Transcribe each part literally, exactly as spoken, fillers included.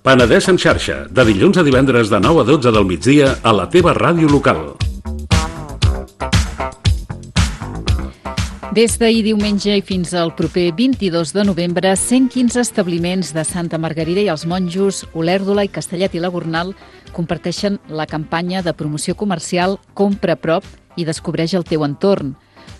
Penedès en xarxa, de dilluns a divendres de nou a dotze del migdia a la teva ràdio local. Des d'ahir diumenge i fins al proper vint-i-dos de novembre, cent quinze establiments de Santa Margarida i els Monjos, Olèrdola i Castellet i la Gornal comparteixen la campanya de promoció comercial Compra a prop i descobreix el teu entorn.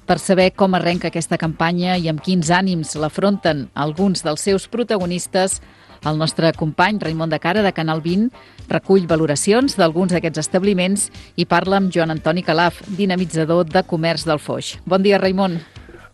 Per saber com arrenca aquesta campanya i amb quins ànims l'afronten alguns dels seus protagonistes, el nostre company Raimon de Cara, de Canal vint, recull valoracions d'alguns d'aquests establiments i parla amb Joan Antoni Calaf, dinamitzador de comerç del Foix. Bon dia, Raimon.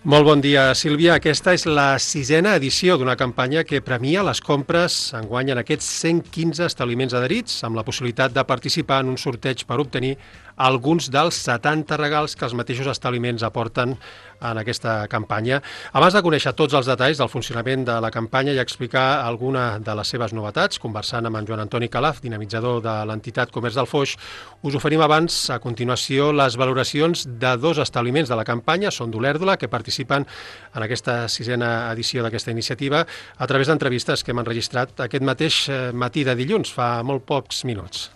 Molt bon dia, Sílvia. Aquesta és la sisena edició d'una campanya que premia les compres enguany en aquests cent quinze establiments adherits, amb la possibilitat de participar en un sorteig per obtenir alguns dels setanta regals que els mateixos establiments aporten en aquesta campanya. Abans de conèixer tots els detalls del funcionament de la campanya i explicar alguna de les seves novetats, conversant amb en Joan Antoni Calaf, dinamitzador de l'entitat Comerç del Foix, us oferim abans, a continuació, les valoracions de dos establiments de la campanya, són d'Olèrdola, que participen en aquesta sisena edició d'aquesta iniciativa a través d'entrevistes que hem enregistrat aquest mateix matí de dilluns, fa molt pocs minuts.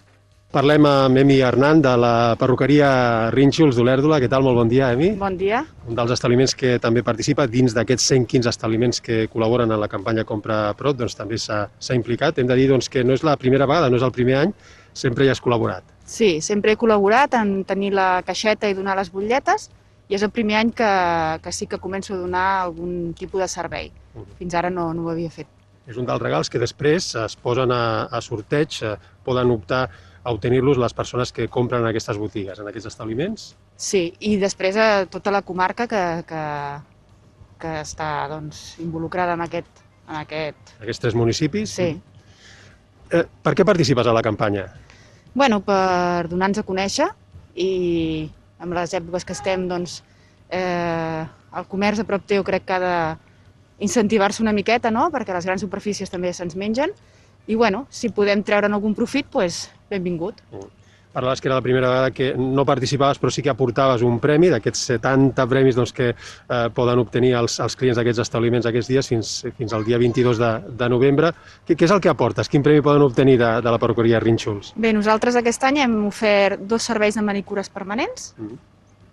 Parlem amb Emi Hernán, de la perruqueria Rínxols d'Olèrdola. Què tal? Molt bon dia, Emi. Bon dia. Un dels establiments que també participa dins d'aquests cent quinze establiments que col·laboren en la campanya Compra a prop, doncs també s'ha implicat. Hem de dir doncs, que no és la primera vegada, no és el primer any, sempre hi has col·laborat. Sí, sempre he col·laborat en tenir la caixeta i donar les butlletes, i és el primer any que, que sí que començo a donar algun tipus de servei. Fins ara no, no ho havia fet. És un dels regals que després es posen a, a sorteig, poden optar a obtenir-los les persones que compren en aquestes botigues, en aquests establiments? Sí, i després a tota la comarca que, que, que està doncs, involucrada en aquest, en aquest... Aquests tres municipis? Sí. Eh, per què participes a la campanya? Bueno, per donar-nos a conèixer i amb les èpoques que estem, doncs, eh, el comerç a prop teu crec que ha d'incentivar-se una miqueta, no?, perquè les grans superfícies també se'ns mengen. I, bueno, si podem treure'n algun profit, doncs benvingut. Parlaves que era la primera vegada que no participaves, però sí que aportaves un premi, d'aquests setanta premis doncs, que eh, poden obtenir els, els clients d'aquests establiments aquests dies fins, fins al dia vint-i-dos de, de novembre. Què, què és el que aportes? Quin premi poden obtenir de, de la perruqueria Rínxols? Bé, nosaltres aquest any hem ofert dos serveis de manicures permanents mm.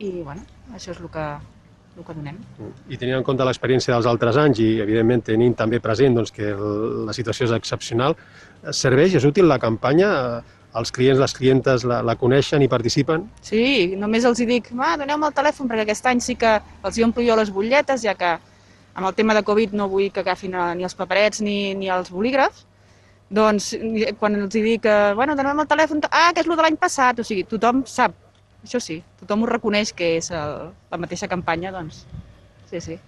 i, bueno, això és el que... el que donem. I tenint en compte l'experiència dels altres anys i, evidentment, tenint també present doncs, que la situació és excepcional, serveix, és útil la campanya? Els clients, les clientes la, la coneixen i participen? Sí, només els hi dic, ah, doneu-me el telèfon, perquè aquest any sí que els hi omplo jo les butlletes, ja que amb el tema de Covid no vull que agafin ni els paperets ni, ni els bolígrafs. Doncs, quan els hi dic, bueno, doneu-me el telèfon, ah, que és el de l'any passat, o sigui, tothom sap. Això sí, tothom ho reconeix que és el, la mateixa campanya, doncs, sí, sí.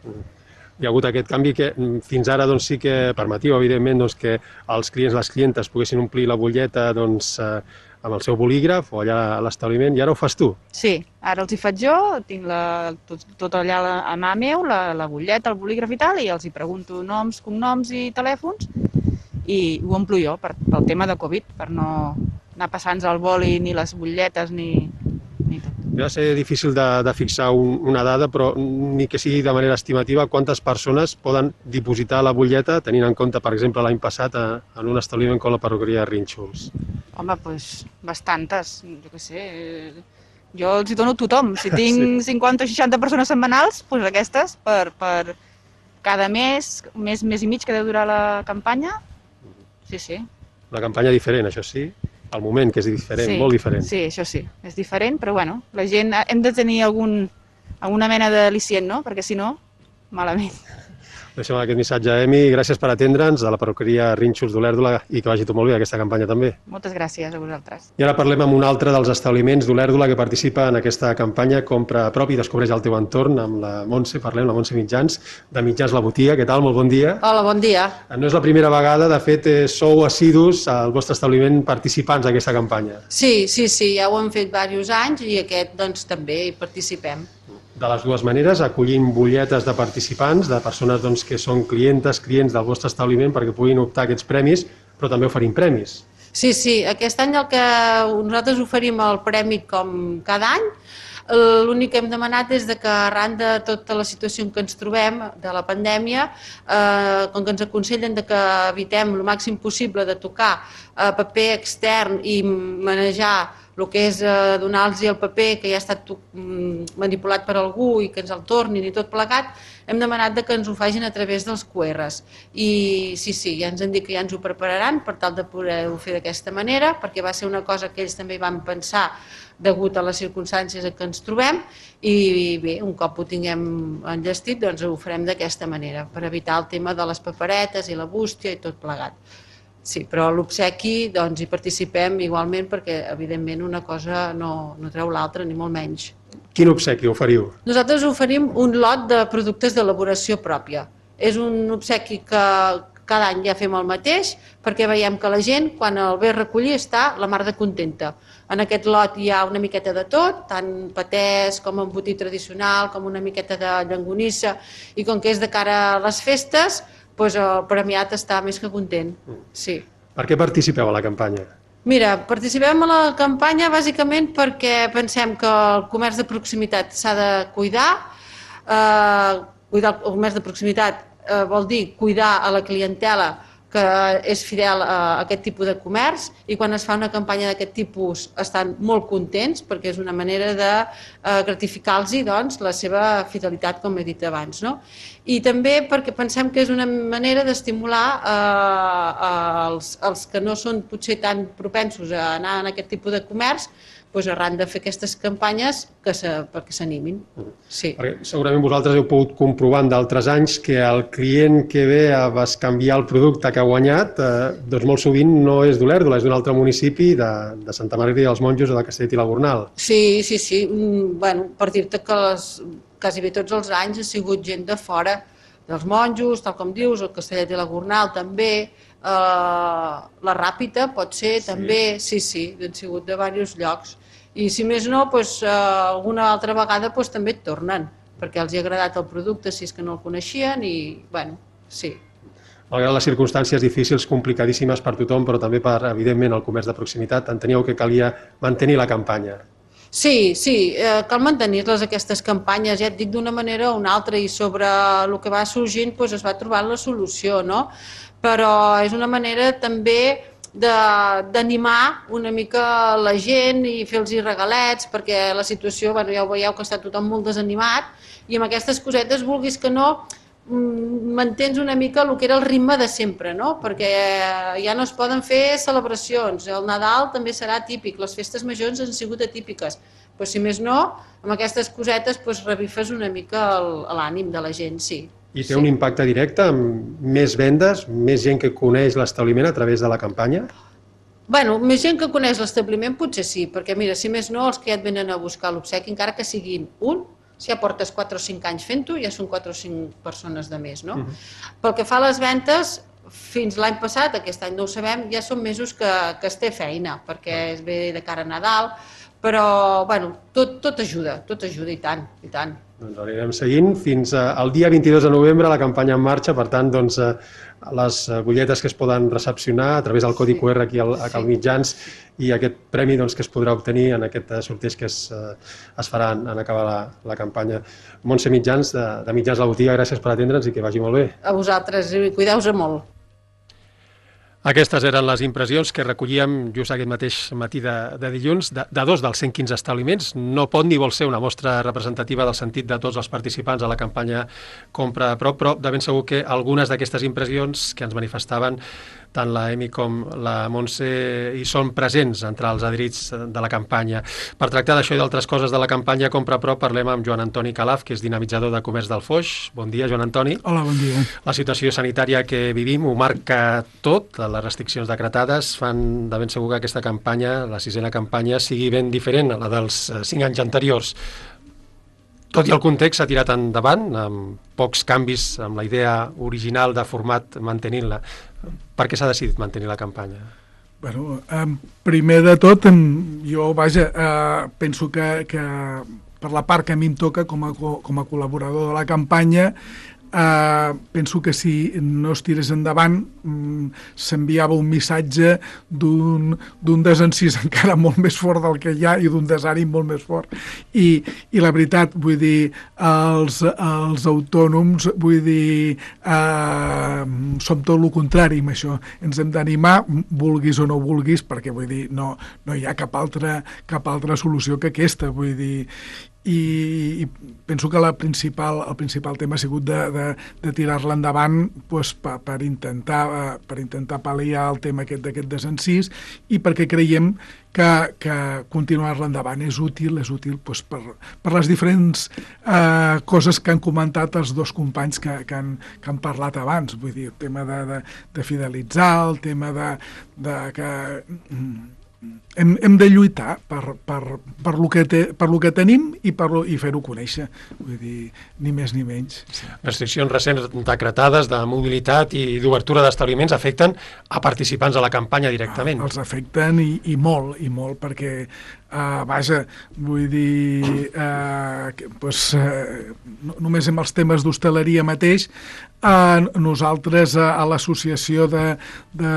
Hi ha hagut aquest canvi que fins ara doncs, sí que permetiu, evidentment, doncs, que els clients, les clientes poguessin omplir la butlleta doncs, eh, amb el seu bolígraf o allà a l'establiment, i ara ho fas tu? Sí, ara els hi faig jo, tinc la, tot, tot allà a mà meu, la, la butlleta, el bolígraf i tal, i els hi pregunto noms, cognoms i telèfons, i ho omplo jo per, pel tema de Covid, per no anar passant-nos el boli ni les butlletes ni... Va ser difícil de, de fixar un, una dada, però ni que sigui de manera estimativa, quantes persones poden dipositar la butlleta, tenint en compte, per exemple, l'any passat a, en un establiment com la perruqueria Rínxols? Home, doncs bastantes, jo què sé. Jo els hi dono a tothom. Si tinc sí. cinquanta o seixanta persones setmanals, doncs aquestes, per, per cada mes, mes, mes i mig que deu durar la campanya, sí, sí. Una campanya diferent, això sí. El moment, que és diferent, sí, molt diferent. Sí, això sí, és diferent, però bueno, la gent hem de tenir algun, alguna mena d'al·licient, no? Perquè si no, malament. Deixem aquest missatge, Emi. Gràcies per atendre'ns, de la perruqueria Rínxols d'Olèrdola, i que vagi tot molt bé aquesta campanya també. Moltes gràcies a vosaltres. I ara parlem amb un altre dels establiments d'Olèrdola que participa en aquesta campanya Compra a prop i descobreix el teu entorn, amb la Montse, parlem, la Montse Mitjans, de Mitjans La Botiga. Què tal? Molt bon dia. Hola, bon dia. No és la primera vegada, de fet, sou assidus al vostre establiment participants d'aquesta campanya. Sí, sí, sí, ja ho hem fet diversos anys i aquest, doncs, també hi participem. De les dues maneres, acollint butlletes de participants, de persones doncs, que són clientes, clients del vostre establiment perquè puguin optar a aquests premis, però també oferim premis. Sí, sí, aquest any el que nosaltres oferim el premi com cada any, L'únic que hem demanat és que arran de tota la situació en què ens trobem, de la pandèmia, eh, com que ens aconsellen de que evitem el màxim possible de tocar eh, paper extern i manejar el que és eh, donar-los el paper que ja ha estat manipulat per algú i que ens el tornin i tot plegat, hem demanat de que ens ho facin a través dels Q Rs. I sí, sí, ja ens han dit que ja ens ho prepararan per tal de poder-ho fer d'aquesta manera, perquè va ser una cosa que ells també van pensar degut a les circumstàncies en què ens trobem, i bé, un cop ho tinguem enllestit, doncs ho farem d'aquesta manera, per evitar el tema de les paperetes i la bústia i tot plegat. Sí, però l'obsequi, doncs, hi participem igualment perquè, evidentment, una cosa no, no treu l'altra, ni molt menys. Quin obsequi oferiu? Nosaltres oferim un lot de productes d'elaboració pròpia. És un obsequi que cada any ja fem el mateix, perquè veiem que la gent, quan el ve a recollir, està la mar de contenta. En aquest lot hi ha una miqueta de tot, tant patès com embotit tradicional, com una miqueta de llonganissa, i com que és de cara a les festes, doncs el premiat està més que content. Sí. Per què participeu a la campanya? Mira, participem a la campanya bàsicament perquè pensem que el comerç de proximitat s'ha de cuidar. Eh, cuidar el comerç de proximitat eh, vol dir cuidar a la clientela que és fidel a aquest tipus de comerç, i quan es fa una campanya d'aquest tipus estan molt contents perquè és una manera de eh, gratificar-los doncs, la seva fidelitat, com he dit abans. No? I també perquè pensem que és una manera d'estimular eh, els, els que no són potser tan propensos a anar en aquest tipus de comerç, doncs arran de fer aquestes campanyes que se, perquè s'animin. Sí. Perquè segurament vosaltres heu pogut comprovar en d'altres anys que el client que ve a bescanviar el producte que ha guanyat eh, doncs molt sovint no és d'Olèrdola, és d'un altre municipi de, de Santa Margarida dels Monjos o de Castellet i la Gornal. Sí, sí, sí. Bueno, per dir-te que les, quasi bé tots els anys ha sigut gent de fora, dels Monjos, tal com dius, el Castellet i la Gornal també, eh, la Ràpita pot ser sí. també, sí, sí, han sigut de diversos llocs. I si més no, doncs, eh, alguna altra vegada doncs, també et tornen, perquè els ha agradat el producte si és que no el coneixien i, bueno, sí. Malgrat les circumstàncies difícils, complicadíssimes per tothom, però també per, evidentment, el comerç de proximitat, enteníeu que calia mantenir la campanya. Sí, sí, eh, cal mantenir-les aquestes campanyes, ja et dic d'una manera o una altra, i sobre el que va sorgint doncs, es va trobant la solució, no? Però és una manera també d'animar una mica la gent i fer-los regalets, perquè la situació, bueno, ja ho veieu que està tothom molt desanimat, i amb aquestes cosetes, vulguis que no, mantens una mica el que era el ritme de sempre, no? Perquè ja no es poden fer celebracions, el Nadal també serà típic, les festes majors han sigut atípiques, però si més no, amb aquestes cosetes doncs, revifes una mica l'ànim de la gent, sí. I té un impacte directe amb més vendes, més gent que coneix l'establiment a través de la campanya? Bueno, més gent que coneix l'establiment potser sí, perquè mira, si més no, els que ja et venen a buscar l'obsequi, encara que siguin un, si ja portes quatre o cinc anys fent-ho, ja són quatre o cinc persones de més, no? Uh-huh. Pel que fa a les ventes, fins l'any passat, aquest any no ho sabem, ja són mesos que, que es té feina, perquè es ve de cara a Nadal, però, bueno, tot, tot ajuda, tot ajuda i tant, i tant. Doncs anirem seguint fins al dia vint-i-dos de novembre, la campanya en marxa, per tant, doncs, les butlletes que es poden recepcionar a través del codi Q R aquí al, a Cal Mitjans i aquest premi doncs, que es podrà obtenir en aquest sorteig que es, es farà en, en acabar la, la campanya. Montse Mitjans, de, de Mitjans La Botiga, gràcies per atendre'ns i que vagi molt bé. A vosaltres, cuideu-vos molt. Aquestes eren les impressions que recollíem just aquest mateix matí de, de dilluns de, de dos dels cent quinze establiments. No pot ni vol ser una mostra representativa del sentit de tots els participants a la campanya Compra a prop, però de ben segur que algunes d'aquestes impressions que ens manifestaven tant la Emi com la Montse hi són presents entre els adherits de la campanya. Per tractar d'això i d'altres coses de la campanya Compra a prop, parlem amb Joan Antoni Calaf, que és dinamitzador de comerç del Foix. Bon dia, Joan Antoni. Hola, bon dia. La situació sanitària que vivim ho marca tot, les restriccions decretades fan de ben segur que aquesta campanya, la sisena campanya, sigui ben diferent a la dels cinc anys anteriors. Tot i el context s'ha tirat endavant, amb pocs canvis, amb la idea original de format mantenint-la. Per què s'ha decidit mantenir la campanya? Bueno, eh, primer de tot, jo vaja, eh, penso que, que per la part que a mi em toca com a, com a col·laborador de la campanya, Uh, penso que si no es tirés endavant um, s'enviava un missatge d'un d'un desencís encara molt més fort del que hi ha i d'un desànim molt més fort i, i la veritat, vull dir els, els autònoms vull dir uh, som tot el contrari amb això, ens hem d'animar vulguis o no vulguis, perquè vull dir no, no hi ha cap altra, cap altra solució que aquesta, vull dir i, i penso que la principal, el principal tema ha sigut de, de, de tirar-la endavant pues, per, per, intentar, per intentar pal·liar el tema aquest d'aquest desencís i perquè creiem que, que continuar-la endavant és útil, és útil pues, per, per les diferents eh, coses que han comentat els dos companys que, que, han, que han parlat abans, vull dir, el tema de, de, de fidelitzar, el tema de, de que... Hem, hem de lluitar per, per, per, lo que te, per lo que tenim i, per lo, i fer-ho conèixer, vull dir, ni més ni menys. Sí. Restriccions recents decretades de mobilitat i d'obertura d'establiments afecten a participants de la campanya directament. Ah, els afecten i, i molt, i molt, perquè, uh, vaja, vull dir, uh, que, pues, uh, no, només amb els temes d'hostaleria mateix, uh, nosaltres uh, a l'associació de, de,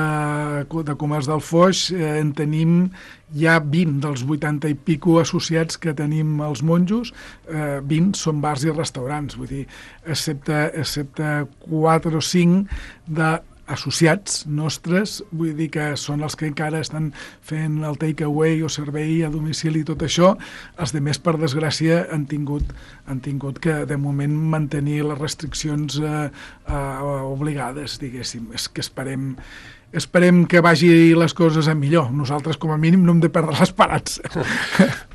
de comerç del Foix uh, en tenim hi ha vint dels vuitanta i pico associats que tenim els monjos, eh, vint són bars i restaurants, vull dir, excepte, excepte quatre o cinc d'associats nostres, vull dir que són els que encara estan fent el take-away o servei a domicili i tot això, els de més, per desgràcia, han tingut, han tingut que, de moment, mantenir les restriccions eh, eh, obligades, diguéssim. És que esperem esperem que vagi les coses a millor. Nosaltres, com a mínim, no hem de perdre l'esperança.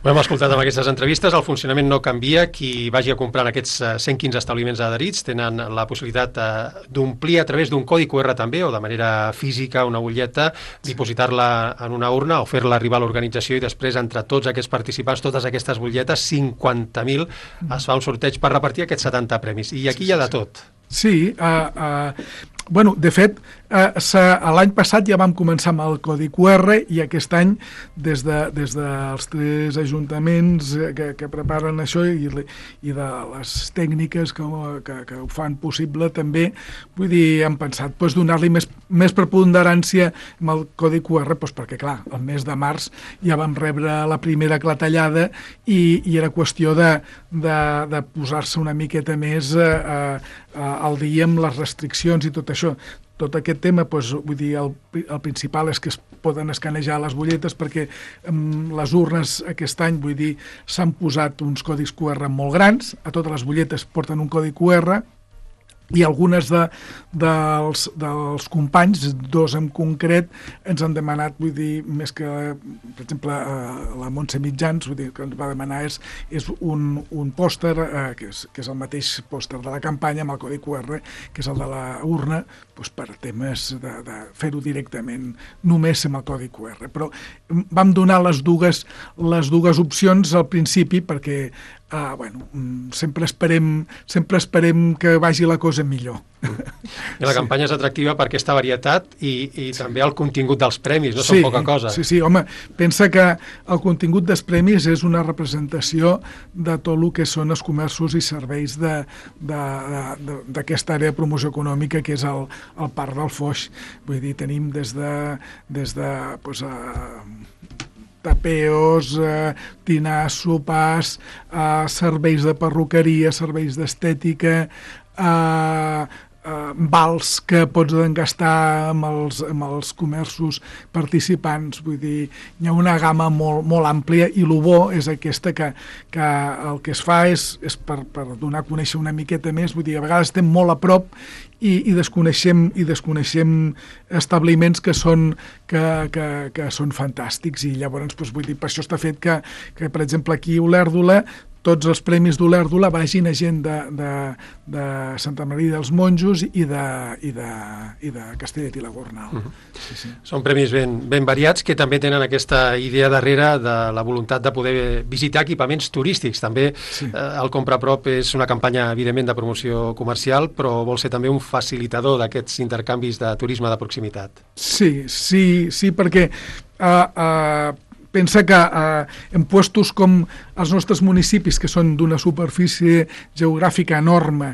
Ho hem escoltat en aquestes entrevistes, el funcionament no canvia. Qui vagi a comprar en aquests cent quinze establiments adherits tenen la possibilitat d'omplir a través d'un codi cu erre també, o de manera física, una butlleta, dipositar-la en una urna o fer-la arribar a l'organització i després, entre tots aquests participants, totes aquestes butlletes, cinquanta mil, es fa un sorteig per repartir aquests setanta premis. I aquí hi ha de tot. Sí, uh, uh, bueno, de fet, uh, l'any passat ja vam començar amb el codi cu erre i aquest any, des, de, des dels tres ajuntaments que, que preparen això i, i de les tècniques que, que, que ho fan possible també, vull dir, hem pensat pues, donar-li més, més preponderància amb el codi cu erre, pues, perquè clar, el mes de març ja vam rebre la primera clatellada i, i era qüestió de, de, de posar-se una miqueta més eh, eh, al dia amb les restriccions i tot això. Tot aquest tema, doncs, vull dir, el, el principal és que es poden escanejar les butlletes perquè um, les urnes aquest any, vull dir, s'han posat uns codis cu erre molt grans, a totes les butlletes porten un codi cu erre i algunes de, dels, dels companys, dos en concret, ens han demanat, vull dir, més que, per exemple, la Montse Mitjans, vull dir, que ens va demanar és, és un, un pòster, eh, que, és, que és el mateix pòster de la campanya, amb el codi cu erre, que és el de la urna, doncs per temes de, de fer-ho directament només amb el codi cu erre. Però vam donar les dues, les dues opcions al principi perquè Uh, bueno, sempre esperem, sempre esperem que vagi la cosa millor. I la campanya és atractiva per aquesta varietat i, i sí. també el contingut dels premis, no sí, són poca cosa. Sí, sí, home, pensa que el contingut dels premis és una representació de tot el que són els comerços i serveis d'aquesta àrea de promoció econòmica que és el, el Parc del Foix. Vull dir, tenim des de, des de pues, uh, tapeos, eh, dinars, sopars, eh, serveis de perruqueria, serveis d'estètica, eh, eh, vals que pots gastar amb els, amb els comerços participants. Vull dir, hi ha una gamma molt, molt àmplia i el bo és aquesta que, que el que es fa és, és per, per donar a conèixer una miqueta més. Vull dir, a vegades estem molt a prop i, i desconeixem i desconeixem establiments que són, que, que, que són fantàstics i llavors, doncs, vull dir, per això està fet que, que per exemple, aquí a Olèrdola tots els premis d'Olèrdola vagin a gent de, de, de Santa Maria dels Monjos i de, i de, i de Castellet i la Gornal. Uh-huh. Sí, sí. Són premis ben, ben variats que també tenen aquesta idea darrere de la voluntat de poder visitar equipaments turístics. També sí. eh, el Compra Prop és una campanya, evidentment, de promoció comercial, però vol ser també un facilitador d'aquests intercanvis de turisme de proximitat. Sí, sí, sí, perquè uh, uh, pensa que eh, en puestos com els nostres municipis, que són d'una superfície geogràfica enorme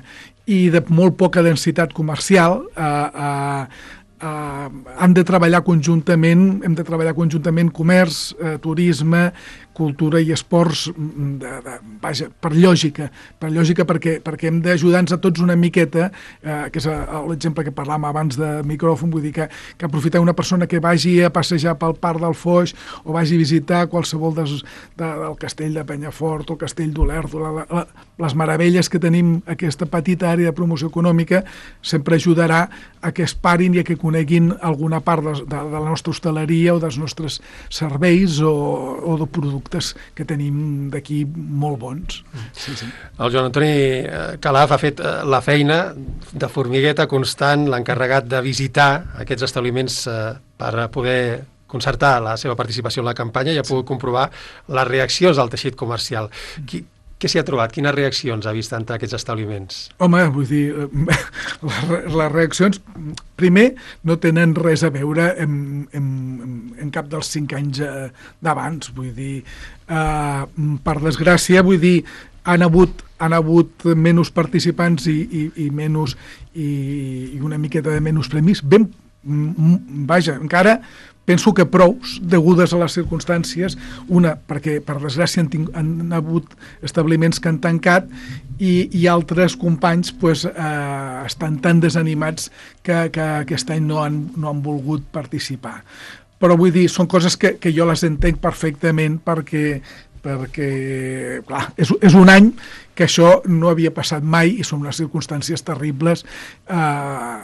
i de molt poca densitat comercial, eh, eh, Uh, han de treballar conjuntament, hem de treballar conjuntament comerç, uh, turisme, cultura i esports, de, de, vaja, per lògica, per lògica perquè, perquè hem d'ajudar-nos a tots una miqueta, uh, que és l'exemple que parlàvem abans de micròfon, vull dir que, que aprofitar una persona que vagi a passejar pel Parc del Foix o vagi a visitar qualsevol des, de, del castell de Penyafort o el castell d'Olèrdola, les meravelles que tenim, aquesta petita àrea de promoció econòmica, sempre ajudarà a que es parin i a que coneguin alguna part de, de, de la nostra hostaleria o dels nostres serveis o, o de productes que tenim d'aquí molt bons. Sí, sí. El Joan Antoni Calaf ha fet la feina de formigueta constant, l'encarregat de visitar aquests establiments per poder concertar la seva participació en la campanya i ha pogut comprovar les reaccions del teixit comercial. Qui, Què s'hi ha trobat? Quines reaccions ha vist entre aquests establiments? Home, vull dir, les, les reaccions, primer, no tenen res a veure amb, amb, amb cap dels cinc anys d'abans. Vull dir, eh, per desgràcia, vull dir, han hagut, han hagut menys participants i, i, i, menys, i, i una miqueta de menys premis. Ben, vaja, encara penso que prous, degudes a les circumstàncies, una, perquè per desgràcia han, ting, han hagut establiments que han tancat i, i altres companys pues, eh, estan tan desanimats que, que aquest any no han, no han volgut participar. Però vull dir, són coses que, que jo les entenc perfectament perquè, perquè clar, és, és un any que això no havia passat mai i són unes circumstàncies terribles eh,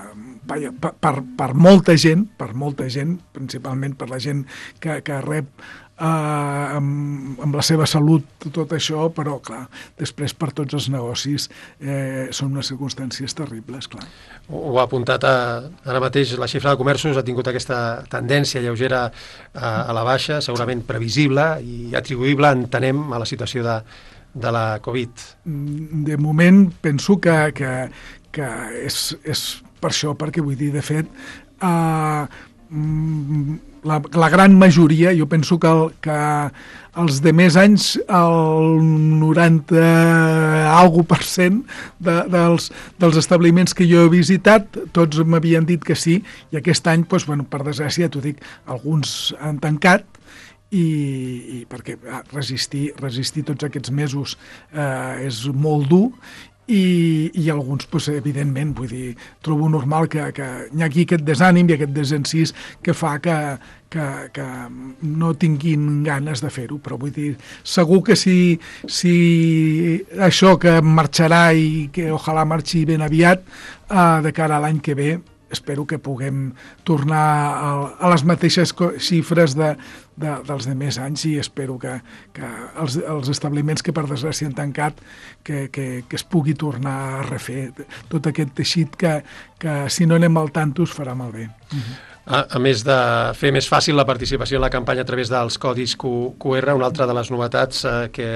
per, per, per molta gent, per molta gent, principalment per la gent que, que rep eh, amb, amb la seva salut tot això, però clar, després per tots els negocis eh, són unes circumstàncies terribles, clar. Ho ha apuntat a, ara mateix, la xifra de comerços ha tingut aquesta tendència lleugera a, a la baixa, segurament previsible i atribuïble, entenem, a la situació de, de la Covid. De moment penso que, que, que és, és per això, perquè vull dir, de fet, eh, la, la gran majoria, jo penso que, el, que els de més anys, el noranta algo per cent de, dels, dels establiments que jo he visitat, tots m'havien dit que sí, i aquest any, doncs, bueno, per desgràcia, t'ho dic, alguns han tancat, i, i perquè resistir, resistir tots aquests mesos eh, és molt dur, i, i alguns, pues, evidentment, vull dir, trobo normal que, que hi hagi aquest desànim i aquest desencís que fa que, que, que no tinguin ganes de fer-ho, però vull dir, segur que si, si això que marxarà i que ojalà marxi ben aviat, eh, de cara a l'any que ve, espero que puguem tornar a, a les mateixes xifres de, de, dels de més anys i espero que, que els, els establiments que per desgràcia han tancat que, que, que es pugui tornar a refer tot aquest teixit que, que si no anem al tanto es farà malbé. Uh-huh. A, a més de fer més fàcil la participació en la campanya a través dels codis Q R, una altra de les novetats eh, que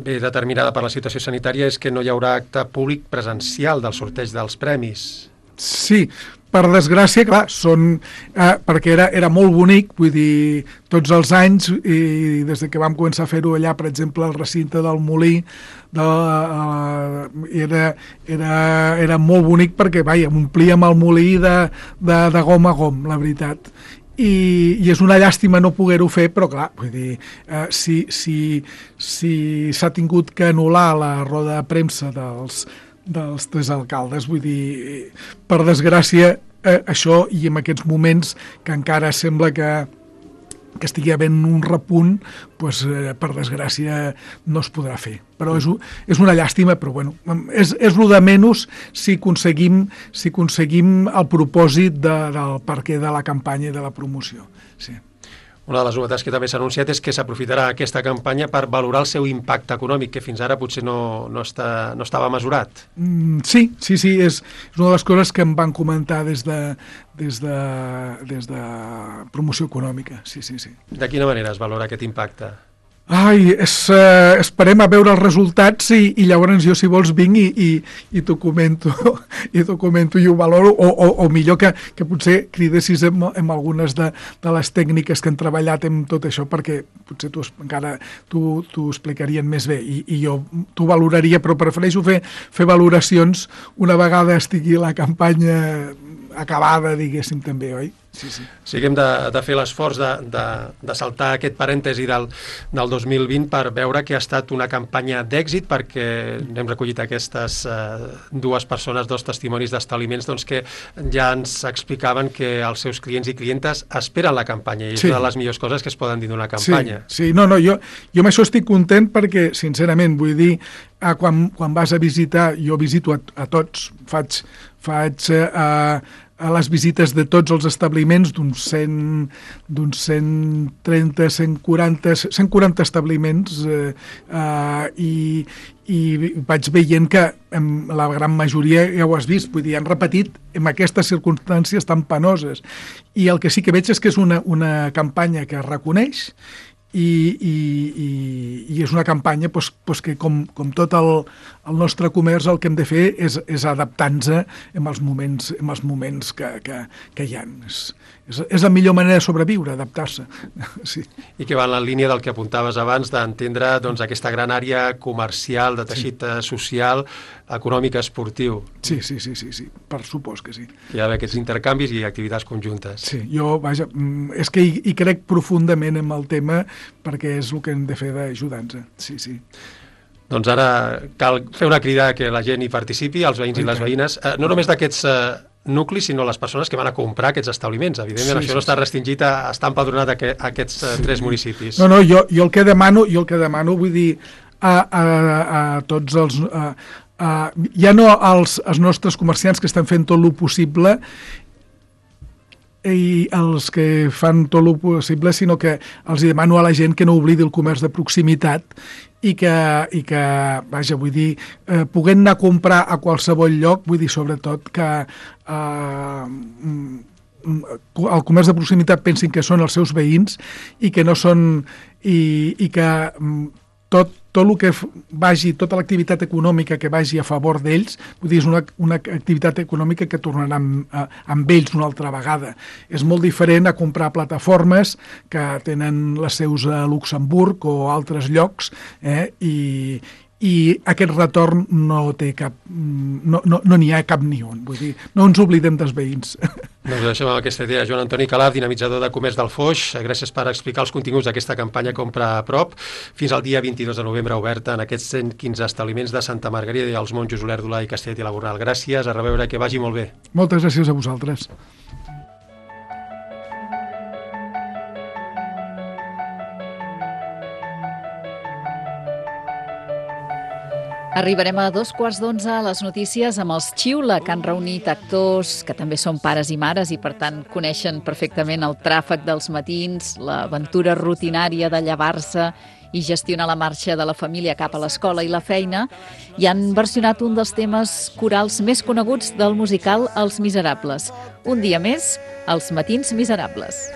ve determinada per la situació sanitària és que no hi haurà acte públic presencial del sorteig dels premis. Sí, per desgràcia, clar, són, eh, perquè era, era molt bonic, vull dir, tots els anys, i des que vam començar a fer-ho allà, per exemple, al recinte del Molí, de, uh, era, era, era molt bonic perquè, vaja, omplíem el Molí de, de, de gom a gom, la veritat. I, i és una llàstima no poder-ho fer, però clar, vull dir, eh, si si, si s'ha tingut que anul·lar la roda de premsa dels dels tres alcaldes, vull dir, per desgràcia, eh, això, i en aquests moments que encara sembla que, que estigui havent un repunt, pues, eh, per desgràcia no es podrà fer. Però és, és una llàstima, però bueno, és, és el de menys si aconseguim, si aconseguim el propòsit de, del perquè de la campanya i de la promoció. Sí. Una de les novetats que també s'ha anunciat és que s'aprofitarà aquesta campanya per valorar el seu impacte econòmic, que fins ara potser no, no, està, no estava mesurat. Mm, sí, sí, sí, és, és una de les coses que em van comentar des de, des de, des de promoció econòmica, sí, sí, sí. De quina manera es valora aquest impacte? Ai, és, uh, esperem a veure els resultats i, i llavors jo, si vols, vinc i, i, i t'ho comento, i t'ho comento i ho valoro, o, o, o millor que, que potser cridessis en, en algunes de, de les tècniques que han treballat en tot això, perquè potser tu encara t'ho explicarien més bé i, i jo t'ho valoraria, però prefereixo fer, fer valoracions una vegada estigui la campanya acabada, diguéssim, també, oi? Sí, sí. Sí que hem de, de fer l'esforç de, de, de saltar aquest parèntesi del, del dos mil vint per veure que ha estat una campanya d'èxit, perquè hem recollit aquestes eh, dues persones, dos testimonis d'establiments doncs, que ja ens explicaven que els seus clients i clientes esperen la campanya i és sí. una de les millors coses que es poden dir d'una campanya. Sí, sí. No, no, jo, jo amb això estic content perquè, sincerament, vull dir, eh, quan, quan vas a visitar, jo visito a, a tots, faig, faig eh, a les visites de tots els establiments, d'uns cent, d'uns cent trenta, cent quaranta, cent quaranta establiments eh, eh, i, i vaig veient que en la gran majoria ja ho has vist, vull dir, han repetit en aquestes circumstàncies tan penoses. I el que sí que veig és que és una, una campanya que es reconeix i, i, i, i és una campanya pues, pues que com, com tot el, el nostre comerç el que hem de fer és, és adaptar-nos en els moments, en els moments que, que, que hi ha. És, és, és la millor manera de sobreviure, adaptar-se. Sí. I que va en la línia del que apuntaves abans, d'entendre doncs, aquesta gran àrea comercial, de teixit sí. social, econòmic, esportiu. Sí, sí, sí, sí, sí, per supòs que sí. Hi ha d'haver aquests intercanvis i activitats conjuntes. Sí, jo, vaja, és que hi, hi crec profundament en el tema perquè és el que hem de fer d'ajudar-nos. Sí, sí. Doncs ara cal fer una crida que la gent hi participi, els veïns i les veïnes, eh, no només d'aquests eh, nuclis, sinó les persones que van a comprar aquests establiments. Evidentment, sí, això sí, no està restringit a estar empadronat a, a aquests eh, sí. tres municipis. No, no, jo, jo el que demano, jo el que demano, vull dir, a, a, a tots els... A, a, ja no als, als nostres comerciants que estan fent tot el possible i els que fan tot el possible, sinó que els demano a la gent que no oblidi el comerç de proximitat i que, i que vaja, vull dir, eh, puguem anar a comprar a qualsevol lloc, vull dir, sobretot que eh, el comerç de proximitat pensin que són els seus veïns i que no són... i, i que tot, tot el que vagi, tota l'activitat econòmica que vagi a favor d'ells, vull dir, és una, una activitat econòmica que tornarà amb, amb ells una altra vegada. És molt diferent a comprar plataformes que tenen les seus a Luxemburg o altres llocs, eh, i, i aquest retorn no té cap, no, no, no n'hi ha cap ni un, vull dir, no ens oblidem dels veïns. Doncs deixem amb aquesta idea. Joan Antoni Calaf, dinamitzador de comerç del Foix, gràcies per explicar els continguts d'aquesta campanya Compra a prop. Fins al dia vint-i-dos de novembre oberta en aquests cent quinze establiments de Santa Margarida i els Monjos, Olèrdola i Castellet i la Gornal. Gràcies, a reveure, que vagi molt bé. Moltes gràcies a vosaltres. Arribarem a dos quarts d'onze a les notícies amb els Xiula, que han reunit actors que també són pares i mares i, per tant, coneixen perfectament el tràfic dels matins, l'aventura rutinària de llevar-se i gestionar la marxa de la família cap a l'escola i la feina, i han versionat un dels temes corals més coneguts del musical Els Miserables. Un dia més, Els Matins Miserables.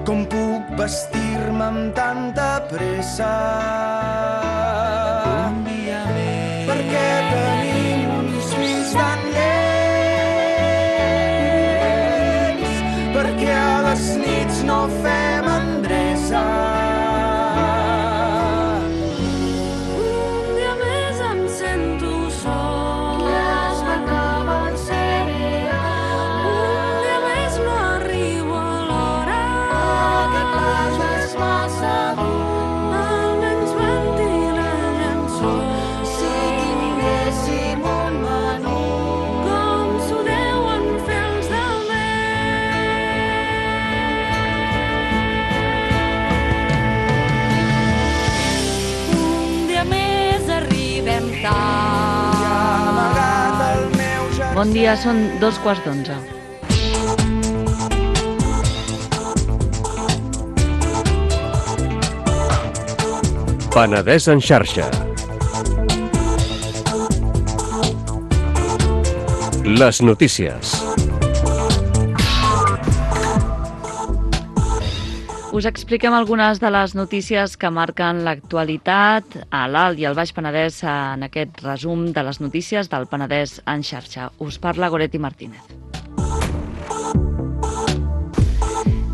Com puc vestir-me amb tanta pressa? Un dia més. Perquè tenim uns fills tan lents, perquè a les nits no fem endreça. Un dia més em sento sol, les m'acaben serè. Un dia més no arribo a l'hora, que pas és massa dur. Almenys ventila el llençó, si tinguéssim un menú, com s'ho deuen fer els del mes. Un dia més arribem tard. Bon dia, són dos quarts d'onze. Penedès en xarxa. Les notícies. Us expliquem algunes de les notícies que marquen l'actualitat a l'Alt i al Baix Penedès en aquest resum de les notícies del Penedès en xarxa. Us parla Goretti Martínez.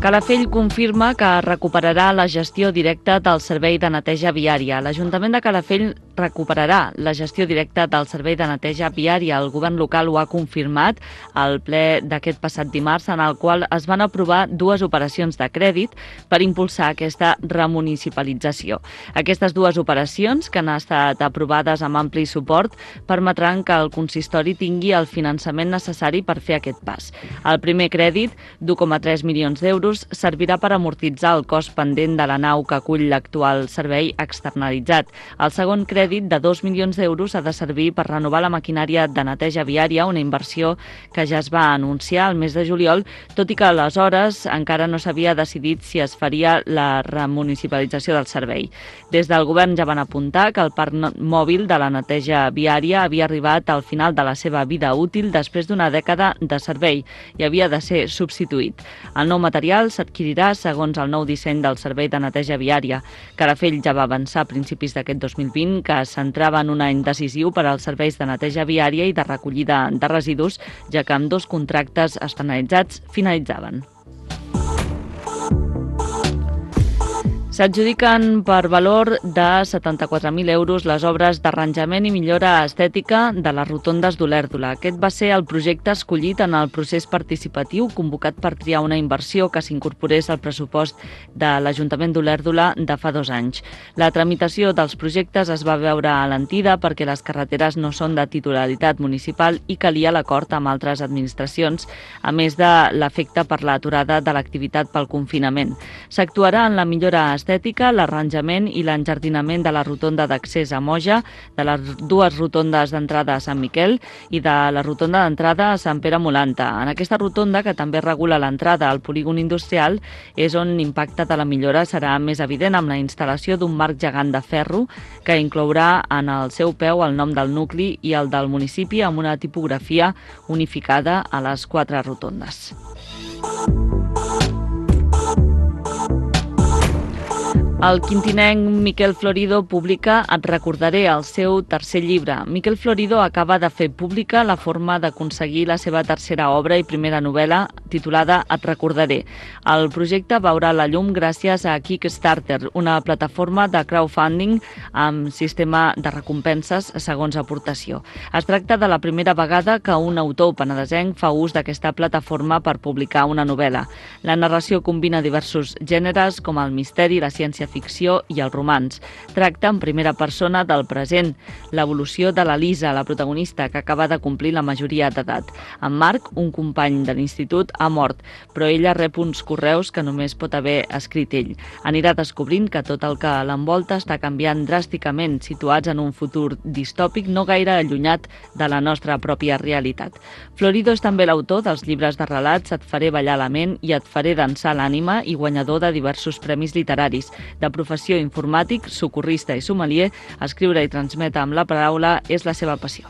Calafell confirma que recuperarà la gestió directa del servei de neteja viària. L'Ajuntament de Calafell recuperarà la gestió directa del servei de neteja viària. El govern local ho ha confirmat al ple d'aquest passat dimarts, en el qual es van aprovar dues operacions de crèdit per impulsar aquesta remunicipalització. Aquestes dues operacions, que han estat aprovades amb ampli suport, permetran que el consistori tingui el finançament necessari per fer aquest pas. El primer crèdit, d'u coma tres milions d'euros, servirà per amortitzar el cost pendent de la nau que acull l'actual servei externalitzat. El segon crèdit, de dos milions d'euros, ha de servir per renovar la maquinària de neteja viària, una inversió que ja es va anunciar al mes de juliol, tot i que aleshores encara no s'havia decidit si es faria la remunicipalització del servei. Des del govern ja van apuntar que el parc mòbil de la neteja viària havia arribat al final de la seva vida útil després d'una dècada de servei i havia de ser substituït. El nou material s'adquirirà segons el nou disseny del servei de neteja viària. Calafell ja va avançar a principis d'aquest dos mil vint que es centrava en un any decisiu per als serveis de neteja viària i de recollida de residus, ja que amb dos contractes externalitzats finalitzaven. S'adjudiquen per valor de setanta-quatre mil euros les obres d'arranjament i millora estètica de les rotondes d'Olèrdola. Aquest va ser el projecte escollit en el procés participatiu convocat per triar una inversió que s'incorporés al pressupost de l'Ajuntament d'Olèrdola de fa dos anys. La tramitació dels projectes es va veure alentida perquè les carreteres no són de titularitat municipal i calia l'acord amb altres administracions, a més de l'efecte per l'aturada de l'activitat pel confinament. S'actuarà en la millora estètica, l'arranjament i l'enjardinament de la rotonda d'accés a Moja, de les dues rotondes d'entrada a Sant Miquel i de la rotonda d'entrada a Sant Pere Molanta. En aquesta rotonda, que també regula l'entrada al polígon industrial, és on l'impacte de la millora serà més evident amb la instal·lació d'un marc gegant de ferro que inclourà en el seu peu el nom del nucli i el del municipi amb una tipografia unificada a les quatre rotondes. El quintinenc Miquel Florido publica Et recordaré, el seu tercer llibre. Miquel Florido acaba de fer pública la forma d'aconseguir la seva tercera obra i primera novel·la, titulada Et recordaré. El projecte veurà la llum gràcies a Kickstarter, una plataforma de crowdfunding amb sistema de recompenses segons aportació. Es tracta de la primera vegada que un autor penedesenc fa ús d'aquesta plataforma per publicar una novel·la. La narració combina diversos gèneres com el misteri, la ciència ficció i el romanç. Tracta en primera persona del present, l'evolució de la Lisa, la protagonista, que acaba de complir la majoria d'edat. En Marc, un company de l'institut, ha mort, però ella rep uns correus que només pot haver escrit ell. Anirà descobrint que tot el que l'envolta està canviant dràsticament, situats en un futur distòpic no gaire allunyat de la nostra pròpia realitat. Florido és també l'autor dels llibres de relats Et faré ballar la ment i Et faré dansar l'ànima i guanyador de diversos premis literaris. De professió informàtic, socorrista i sommelier, escriure i transmetre amb la paraula és la seva passió.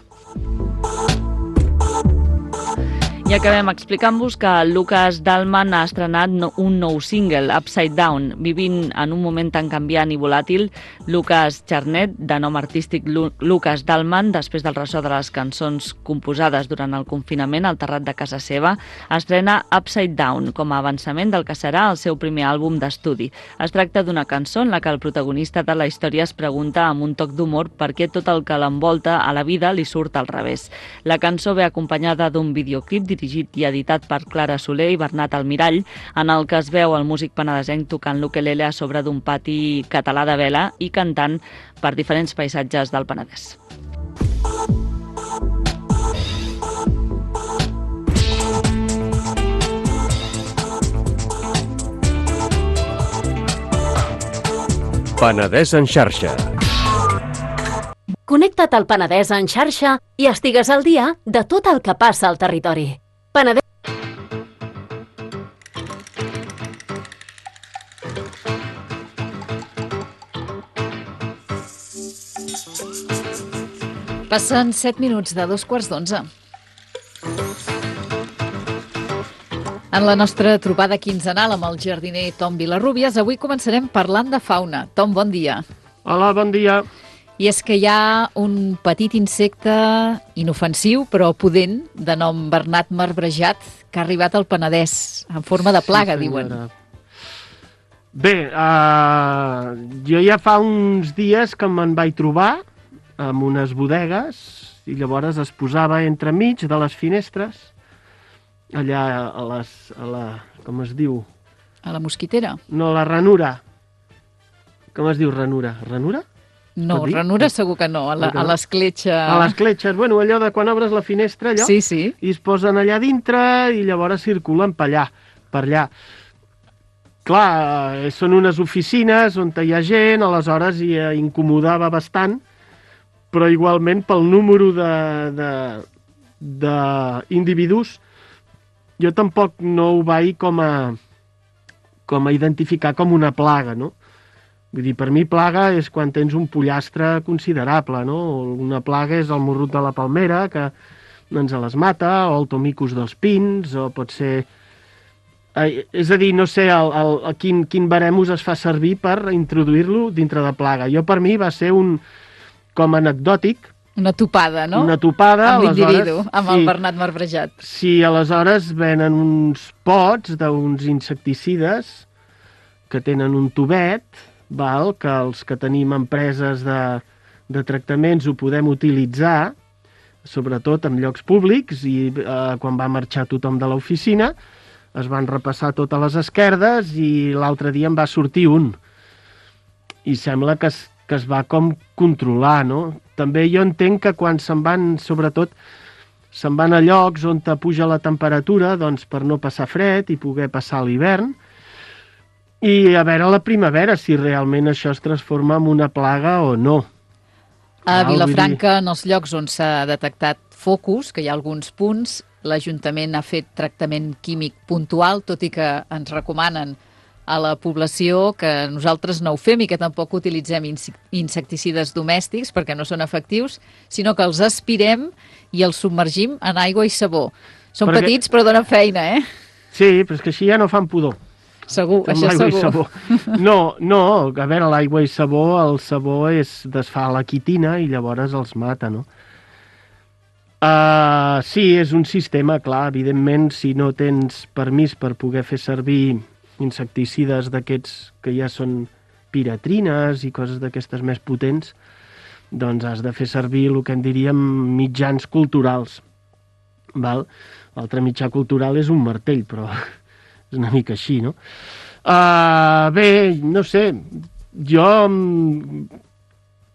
I acabem explicant-vos que Lucas Dallman ha estrenat un nou single, Upside Down. Vivint en un moment tan canviant i volàtil, Lucas Charnet, de nom artístic Lucas Dallman, després del ressò de les cançons composades durant el confinament al terrat de casa seva, estrena Upside Down com a avançament del que serà el seu primer àlbum d'estudi. Es tracta d'una cançó en la que el protagonista de la història es pregunta amb un toc d'humor per què tot el que l'envolta a la vida li surt al revés. La cançó ve acompanyada d'un videoclip dirigit i editat per Clara Soler i Bernat Almirall, en el que es veu el músic penedesenc tocant l'ukelele a sobre d'un pati català de vela i cantant per diferents paisatges del Penedès. Penedès en xarxa. Connecta't al Penedès en xarxa i estigues al dia de tot el que passa al territori. Penedès... Passen set minuts de dos quarts d'onze. En la nostra trobada quinzenal amb el jardiner Tom Vilarrubias, avui començarem parlant de fauna. Tom, bon dia. Hola, bon dia. I és que hi ha un petit insecte inofensiu, però pudent, de nom Bernat marbrejat, que ha arribat al Penedès, en forma de plaga, sí, diuen. Bé, uh, jo ja fa uns dies que me'n vaig trobar amb unes bodegues i llavors es posava entremig de les finestres, allà a les... A la, com es diu? A la mosquitera? No, la ranura. Com es diu ranura? Ranura? No, ranura segur que no, a l'escletxa... A l'escletxa, bueno, allò de quan obres la finestra, allò, sí, sí. I es posen allà dintre i llavors circulen per allà, per allà. Clar, són unes oficines on hi ha gent, aleshores hi incomodava bastant, però igualment pel número d'individus jo tampoc no ho vaig com a, com a identificar com una plaga, no? Vull dir, per mi plaga és quan tens un pollastre considerable, no? Una plaga és el morrut de la palmera, que ens les mata, o el tomicus dels pins, o pot ser... Eh, és a dir, no sé el, el, el, quin, quin barem es fa servir per introduir-lo dintre de plaga. Jo, per mi, va ser un... com anecdòtic. Una topada, no? Una topada, amb l'individu, amb sí, el Bernat marbrejat. Sí, aleshores venen uns pots d'uns insecticides que tenen un tubet, val, que els que tenim empreses de, de tractaments ho podem utilitzar, sobretot en llocs públics, i eh, quan va marxar tothom de l'oficina es van repassar totes les esquerdes i l'altre dia en va sortir un. I sembla que es, que es va com controlar, no? També jo entenc que quan se'n van, sobretot, se'n van a llocs on te puja la temperatura, doncs per no passar fred i poder passar l'hivern, i a veure a la primavera si realment això es transforma en una plaga o no. A Vilafranca, en els llocs on s'ha detectat focus, que hi ha alguns punts, l'Ajuntament ha fet tractament químic puntual, tot i que ens recomanen a la població que nosaltres no ho fem i que tampoc utilitzem insecticides domèstics perquè no són efectius, sinó que els aspirem i els submergim en aigua i sabó. Són perquè... petits però donen feina, eh? Sí, però és que així ja no fan pudor. Segur, això segur. No, no, a veure, l'aigua i sabó, el sabó és desfà la quitina i llavors els mata, no? Uh, sí, és un sistema, clar, evidentment, si no tens permís per poder fer servir insecticides d'aquests que ja són piratrines i coses d'aquestes més potents, doncs has de fer servir el que en diríem mitjans culturals. Val? L'altre mitjà cultural és un martell, però és una mica així, no? Uh, bé, no sé, jo...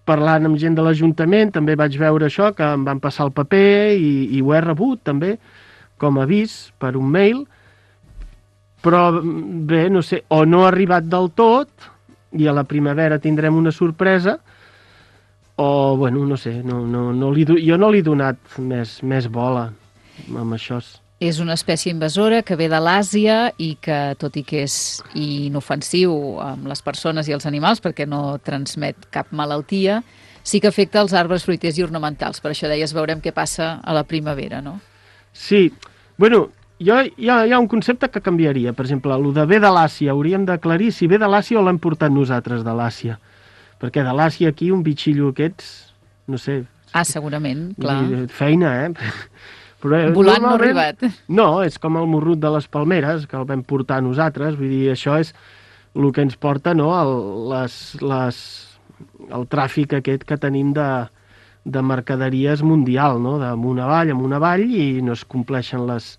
parlant amb gent de l'Ajuntament, també vaig veure això, que em van passar el paper i, i ho he rebut també, com a avís per un mail, però bé, no sé, o no ha arribat del tot i a la primavera tindrem una sorpresa, o, bueno, no sé, no, no, no li, jo no li he donat més, més bola amb això. És una espècie invasora que ve de l'Àsia i que, tot i que és inofensiu amb les persones i els animals, perquè no transmet cap malaltia, sí que afecta els arbres fruiters i ornamentals. Per això deies, veurem què passa a la primavera, no? Sí. Bueno, jo, hi, ha, hi ha un concepte que canviaria. Per exemple, el de ve de l'Àsia. Hauríem d'aclarir si ve de l'Àsia o l'hem portat nosaltres de l'Àsia. Perquè de l'Àsia aquí, un bitxillo aquests, no sé... Ah, segurament, clar. Feina, eh? Però, volant no ha arribat. No, és com el morrut de les palmeres, que el vam portar nosaltres, vull dir, això és el que ens porta, no?, el, les, les, el tràfic aquest que tenim de, de mercaderies mundial, no?, d'amunt avall, amunt avall, i no es compleixen les,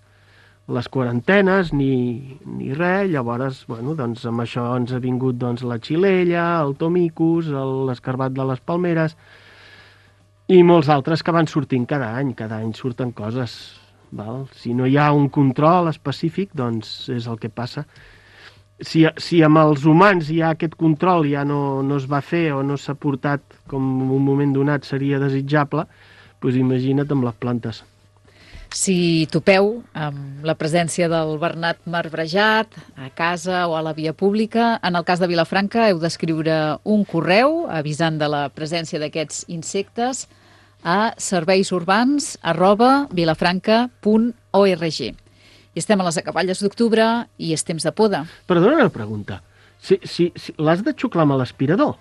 les quarantenes ni, ni res, llavors, bueno, doncs amb això ens ha vingut doncs, la xilella, el tomicus, l'escarbat de les palmeres, i molts altres que van sortint cada any, cada any surten coses. Val? Si no hi ha un control específic, doncs és el que passa. Si, si amb els humans hi ha aquest control, ja no, no es va fer o no s'ha portat com en un moment donat seria desitjable, doncs imagina't amb les plantes. Si topeu amb la presència del Bernat marbrejat a casa o a la via pública, en el cas de Vilafranca heu d'escriure un correu avisant de la presència d'aquests insectes a serveisurbans arroba vilafranca punt org. I estem a les acaballes d'octubre i és temps de poda. Perdona una pregunta. Si, si, si l'has de xuclar amb l'aspirador?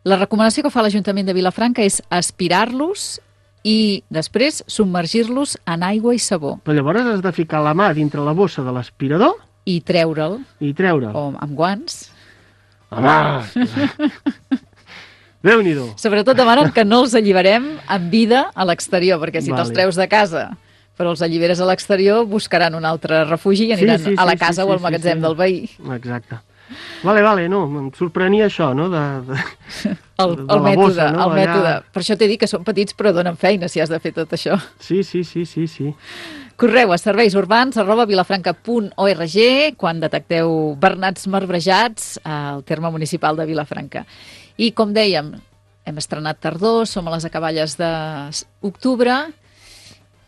La recomanació que fa l'Ajuntament de Vilafranca és aspirar-los i després submergir-los en aigua i sabó. Però llavors has de ficar la mà dintre la bossa de l'aspirador i treure'l. I treure'l. O amb guants. Home! Déu-n'hi-do. Sobretot demanen que no els alliberem en vida a l'exterior, perquè si Vale. te'ls treus de casa però els alliberes a l'exterior, buscaran un altre refugi i aniran sí, sí, a la sí, casa sí, o al sí, magatzem sí. del veí. Exacte. Vale, vale, no, em sorprenia això, no? De, de, el, de el la mètode, bossa, no? el Allà... mètode. Per això t'he dit que són petits però donen feina si has de fer tot això. Sí, sí, sí, sí, sí. Correu a serveis urbans arroba vilafranca punt org quan detecteu bernats marbrejats al terme municipal de Vilafranca. I com dèiem, hem estrenat tardor, som a les acaballes d'octubre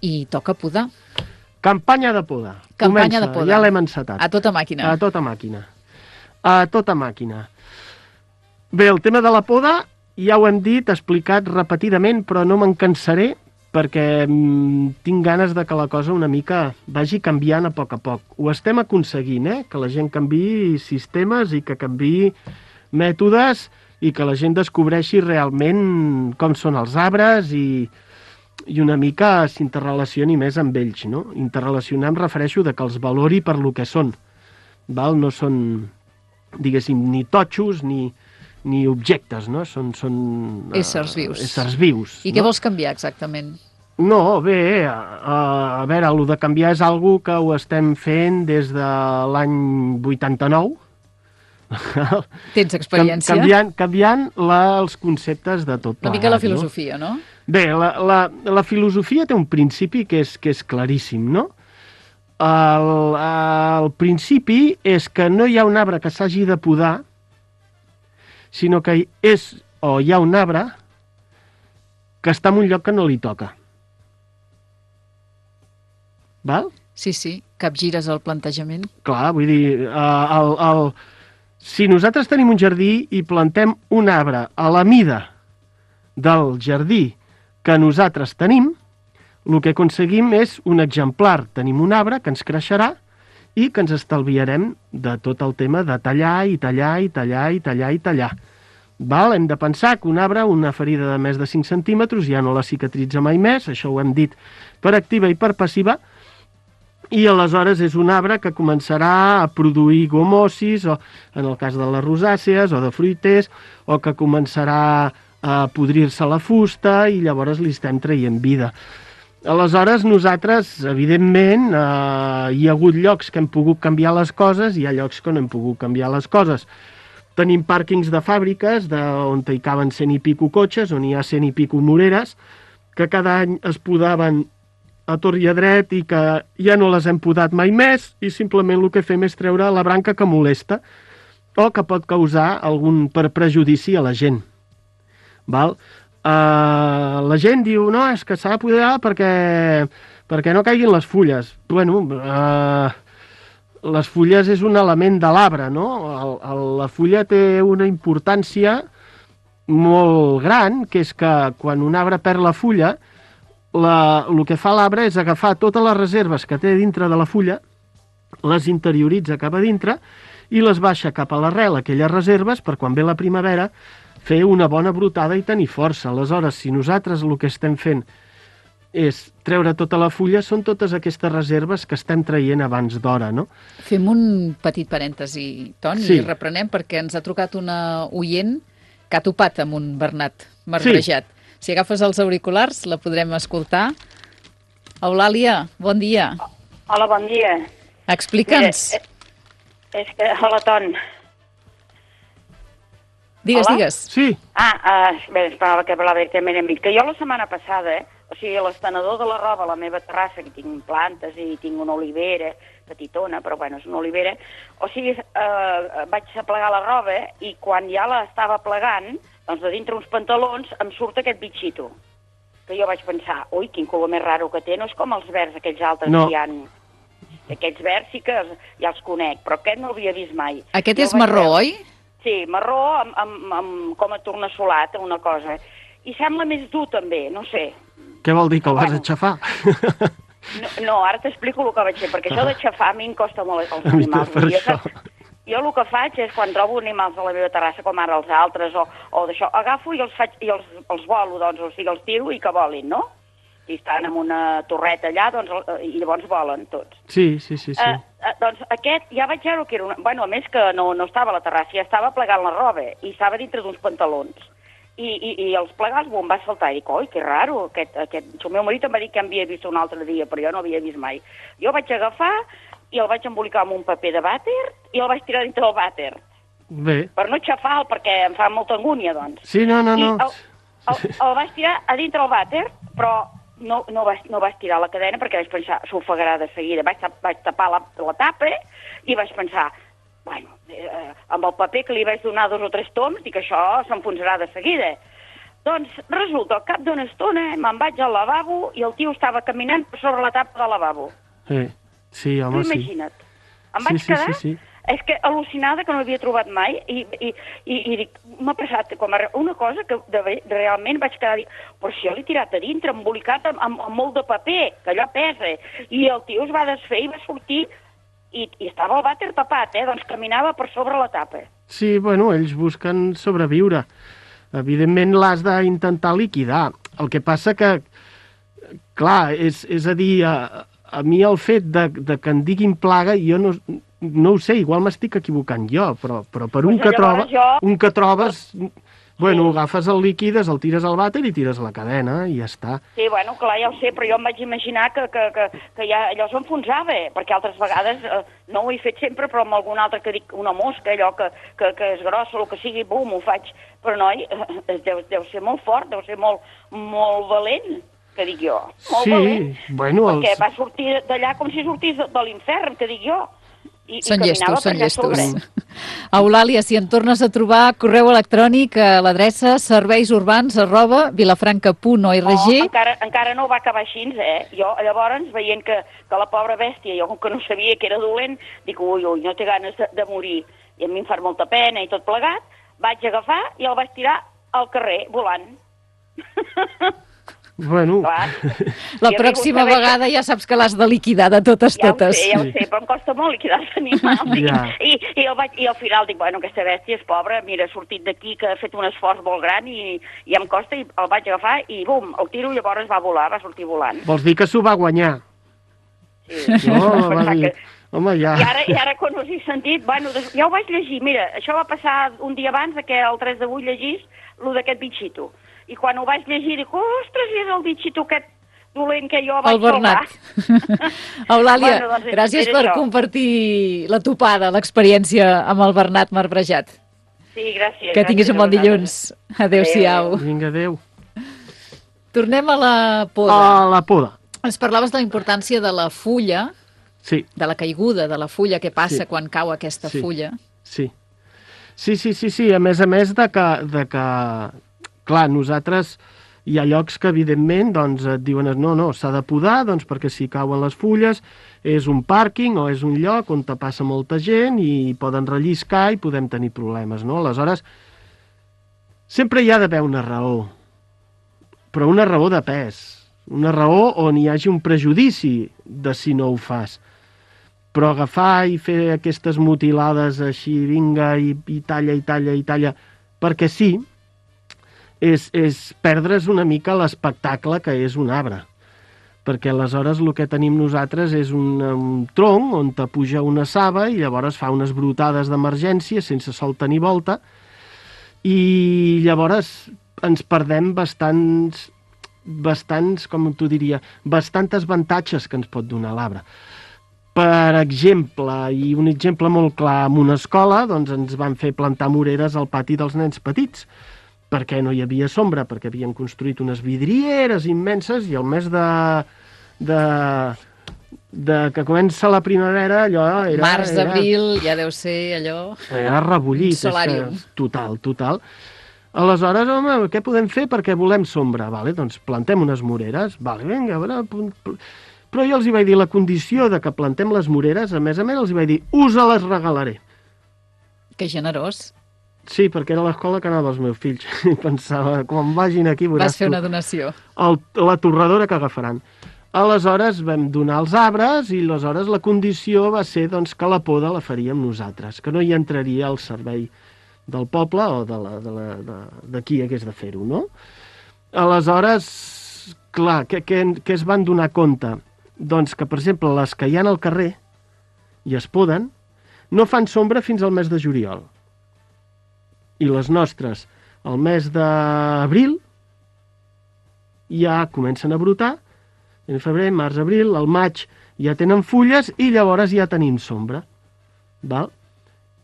i toca podar. Campanya de poda. Campanya Comença, de poda. ja l'hem encetat. A tota màquina. A tota màquina. A tota màquina. Bé, el tema de la poda ja ho hem dit, explicat repetidament, però no me'n cansaré perquè mm, tinc ganes de que la cosa una mica vagi canviant a poc a poc. Ho estem aconseguint, eh? Que la gent canviï sistemes i que canviï mètodes i que la gent descobreixi realment com són els arbres i, i una mica s'interrelacioni més amb ells, no? Interrelacionar em refereixo de que els valori per lo que són, val? No són, diguéssim, ni totxos ni, ni objectes, no? Són, són uh, éssers vius. Éssers vius. I no? què vols canviar exactament? No, bé, a, a veure, el de canviar és algo que ho estem fent des de l'any vuitanta-nou. Tens experiència? Canviant, canviant la, els conceptes de tot plegat. Una mica la filosofia, no? no? Bé, la, la, la filosofia té un principi que és, que és claríssim, no? El, el principi és que no hi ha un arbre que s'hagi de podar, sinó que és, o hi ha un arbre que està en un lloc que no li toca. Val? Sí, sí, capgires el plantejament. Clar, vull dir, uh, el, el, si nosaltres tenim un jardí i plantem un arbre a la mida del jardí que nosaltres tenim, el que aconseguim és un exemplar. Tenim un arbre que ens creixerà i que ens estalviarem de tot el tema de tallar i tallar i tallar i tallar i tallar. Val? Hem de pensar que un arbre, una ferida de més de cinc centímetres, ja no la cicatritza mai més, això ho hem dit per activa i per passiva, i aleshores és un arbre que començarà a produir gomosis, o en el cas de les rosàcees, o de fruiters, o que començarà a podrir-se la fusta i llavors li estem traient vida. Aleshores, nosaltres, evidentment, eh, hi ha hagut llocs que hem pogut canviar les coses i hi ha llocs que no hem pogut canviar les coses. Tenim pàrquings de fàbriques de, on hi caben cent i pico cotxes, on hi ha cent i pico moreres, que cada any es podaven a tor i a dret i que ja no les hem podat mai més i simplement el que fem és treure la branca que molesta o que pot causar algun per prejudici a la gent. Val? Uh, la gent diu, no, és que s'ha de podar perquè, perquè no caiguin les fulles. Bueno, uh, les fulles és un element de l'arbre, no? El, el, la fulla té una importància molt gran, que és que quan un arbre perd la fulla, La, el que fa l'arbre és agafar totes les reserves que té dintre de la fulla, les interioritza cap a dintre i les baixa cap a l'arrel, aquelles reserves, per quan ve la primavera, fer una bona brotada i tenir força. Aleshores, si nosaltres el que estem fent és treure tota la fulla, són totes aquestes reserves que estem traient abans d'hora, no? Fem un petit parèntesi, Toni, sí. I reprenem perquè ens ha trucat una oient que ha topat amb un bernat marbrejat. Sí. Si agafes els auriculars, la podrem escoltar. Eulàlia, bon dia. Hola, bon dia. Explica'ns. Mira, és que... Hola, Ton. Digues, Hola? digues. Sí. Ah, uh, bé, esperava que parlava directament amb mi. Que jo la setmana passada, eh, o sigui, a l'estenedor de la roba, a la meva terrassa, que tinc plantes i tinc una olivera, petitona, però bueno, és una olivera, o sigui, uh, vaig a plegar la roba i quan ja la estava plegant, doncs de dintre uns pantalons em surt aquest bitxito. Que jo vaig pensar, ui, quin color més raro que té, no és com els verds, aquells altres no. que hi ha. Aquests verds sí que ja els conec, però aquest no l'havia vist mai. Aquest jo és marró, veure... oi? Sí, marró amb, amb, amb com a tornassolat, una cosa. I sembla més dur també, no sé. Què vol dir, que el vas bueno. aixafar? No, no, ara t'explico el que vaig fer, perquè això de xafar a mi em costa molt els A mi animals. per Jo, això. saps? Jo el que faig és, quan trobo animals a la meva terrassa, com ara els altres, o, o d'això, agafo i els faig i els, els volo, doncs, o sigui, els tiro i que volin, no? I estan en una torreta allà, doncs, i llavors volen tots. Sí, sí, sí, sí. Eh, eh, doncs aquest ja vaig veure que era una... Bueno, a més que no, no estava a la terrassa, ja estava plegant la roba i estava dintre d'uns pantalons. I, i, i els plegats m'ho em va saltar i dic, oi, que raro, aquest, aquest... El meu marit em va dir que havia vist un altre dia, però jo no havia vist mai. Jo vaig agafar i el vaig embolicar amb un paper de vàter i el vaig tirar dintre del vàter. Bé. Per no xafar-lo, perquè em fa molta angúnia, doncs. Sí, no, no, no. I el, el, el vaig tirar a dintre del vàter, però no, no, vaig, no vaig tirar la cadena perquè vaig pensar, s'ofegarà de seguida. Vaig, vaig tapar la, la tapa i vaig pensar, bueno, eh, amb el paper que li vaig donar dos o tres toms, dic, això s'enfonsarà de seguida. Doncs resulta, al cap d'una estona me'n vaig al lavabo i el tio estava caminant per sobre la tapa del lavabo. Sí, sí, home, sí. Imagina't. Em Sí, vaig sí, quedar... sí, sí. És que al·lucinada, que no l'havia trobat mai, i, i, i, i dic, m'ha passat com a, una cosa que de, de, realment vaig quedar dir, però si jo l'he tirat a dintre, embolicat amb, amb, amb molt de paper, que allò pesa, i el tio es va desfer i va sortir, i, i estava el vàter tapat, eh? Doncs caminava per sobre la tapa. Sí, bueno, ells busquen sobreviure. Evidentment l'has d'intentar liquidar. El que passa que, clar, és, és a dir, a, a mi el fet de, de que en diguin plaga, jo no... No ho sé, igual m'estic equivocant jo, però, però per un, Pues que troba, jo... un que trobes... Bueno, agafes el líquides, el tires al vàter i tires la cadena i ja està. Sí, bueno, clar, ja ho sé, però jo em vaig imaginar que, que, que, que ja allò s'enfonsava, perquè altres vegades, eh, no ho he fet sempre, però amb algun altre que dic una mosca, allò que, que, que és grossa, el que sigui, bum, ho faig. Però, noi, eh, deu, deu ser molt fort, deu ser molt, molt valent, que dic jo. Molt Sí, valent, bueno... perquè Els... va sortir d'allà com si sortís de, de l'infern, que dic jo. I, Són i llestos, són llestos. sobre. Eulàlia, si en tornes a trobar correu electrònic a l'adreça serveisurbans arroba vilafranca punt org. Oh, encara, encara no va acabar així, eh? Jo, llavors, veient que, que la pobra bèstia, jo com que no sabia que era dolent, dic, ui, ui, no té ganes de, de morir. I a mi em fa molta pena i tot plegat, vaig agafar i el vaig tirar al carrer, volant. Bueno... Clar. La I pròxima saber vegada ja saps que l'has de liquidar de totes, Ja ho totes. sé, ja ho sé, però em costa molt liquidar els animals. Ja. I, i, el vaig, I al final dic, bueno, aquesta bèstia és pobra, mira, ha sortit d'aquí, que ha fet un esforç molt gran i, i em costa, i el vaig agafar i bum, el tiro i llavors va volar, va sortir volant. Vols dir que s'ho va guanyar? Sí. No, Vaig va pensar dir... que- Home, ja... I ara, I ara quan us he sentit, bueno, des- ja ho vaig llegir, mira, això va passar un dia abans de que el tres de vuit llegís lo d'aquest bitxito. I quan ho vaig llegir dic, ostres, és el bitxito aquest dolent que jo vaig El Bernat. salvar. Eulàlia, Bueno, doncs és- gràcies és per això. compartir la topada, l'experiència amb el Bernat marbrejat. Sí, gràcies. Que tinguis gràcies un bon a vosaltres. dilluns. Adéu-siau. Vinga, adéu. Tornem a la poda. A la poda. Ens parlaves de la importància de la fulla, Sí, de la caiguda de la fulla, què passa Sí. quan cau aquesta Sí. fulla. sí. Sí, sí, sí, sí. A més a més de que, de que clar, nosaltres hi ha llocs que, evidentment, doncs, et diuen no, no, s'ha de podar, doncs, perquè si cauen les fulles és un pàrquing o és un lloc on te passa molta gent i poden relliscar i podem tenir problemes, no? Aleshores, sempre hi ha d'haver una raó, però una raó de pes, una raó on hi hagi un prejudici de si no ho fas. Però agafar i fer aquestes mutilades així, vinga, i, i talla, i talla, i talla, perquè sí, és, és perdre's una mica l'espectacle que és un arbre. Perquè aleshores el que tenim nosaltres és un, un tronc on te puja una saba i llavors fa unes brutades d'emergència sense solta ni volta i llavors ens perdem bastants, bastants, com t'ho diria, bastantes avantatges que ens pot donar l'arbre. Per exemple, i un exemple molt clar, en una escola doncs ens van fer plantar moreres al pati dels nens petits, perquè no hi havia sombra, perquè havien construït unes vidrieres immenses i el mes de, de, de que comença la primavera, allò era... Març, era, abril, ja deu ser allò... Era rebollit. Un solàrium. És que, total, total. Aleshores, home, què podem fer perquè volem sombra? Vale, doncs plantem unes moreres. Vale, vinga, a veure... Però jo els hi vaig dir la condició de que plantem les moreres, a més a més els hi vaig dir, us les regalaré. Que generós. Sí, perquè era l'escola que anava els meus fills. I pensava, quan vagin aquí veuràs Vas fer tu una donació. el, la torradora que agafaran. Aleshores vam donar els arbres i aleshores la condició va ser doncs, que la poda la faríem nosaltres, que no hi entraria al servei del poble o de, la, de, la, de, de qui hagués de fer-ho, no? Aleshores, clar, què, què, què es van donar compte? Doncs que, per exemple, les que hi ha al carrer i es poden, no fan sombra fins al mes de juliol. I les nostres, al mes d'abril, ja comencen a brotar, en febrer, març, abril, al maig ja tenen fulles i llavors ja tenim sombra. Val?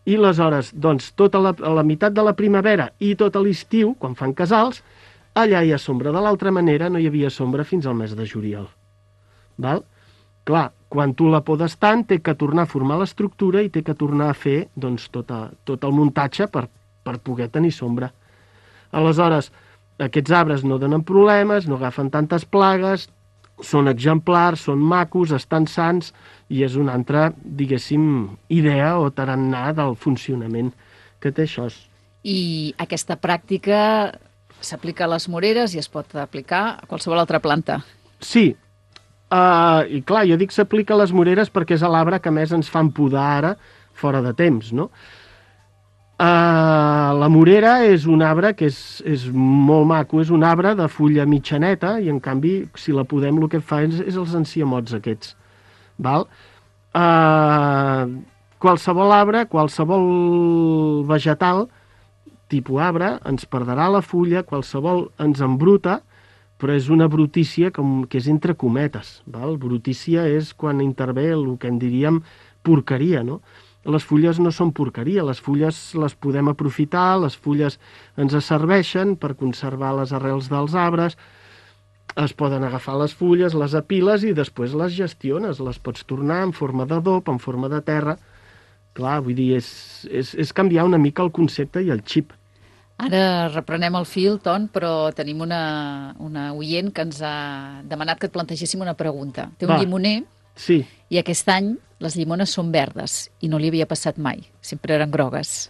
I aleshores, doncs, tota la, la meitat de la primavera i tot l'estiu, quan fan casals, allà hi ha sombra. De l'altra manera no hi havia sombra fins al mes de juliol. Val? Clar, quan tu la podes tant, té que tornar a formar l'estructura i té que tornar a fer doncs, tota, tot el muntatge per, per poder tenir sombra. Aleshores, aquests arbres no donen problemes, no agafen tantes plagues, són exemplars, són macos, estan sants, i és una altra, diguéssim, idea o tarannà del funcionament que té això. I aquesta pràctica s'aplica a les moreres i es pot aplicar a qualsevol altra planta. Sí, uh, i clar, jo dic s'aplica a les moreres perquè és l'arbre que més ens fan podar ara, fora de temps, no? Uh, la morera és un arbre que és, és molt maco, és un arbre de fulla mitjaneta i en canvi si la podem el que fa és, és els enciamots aquests. Val? Uh, qualsevol arbre, qualsevol vegetal, tipus arbre, ens perdrà la fulla, qualsevol ens embruta, però és una brutícia com, que és entre cometes. Val? Brutícia és quan intervé el que en diríem porqueria, no? Les fulles no són porqueria, les fulles les podem aprofitar, les fulles ens serveixen per conservar les arrels dels arbres, es poden agafar les fulles, les apiles i després les gestiones, les pots tornar en forma d'adob, en forma de terra. Clar, vull dir, és, és, és canviar una mica el concepte i el xip. Ara reprenem el fil, Ton, però tenim una, una oient que ens ha demanat que et plantegéssim una pregunta. Té un Va. llimoner Sí. i aquest any les llimones són verdes i no li havia passat mai, sempre eren grogues.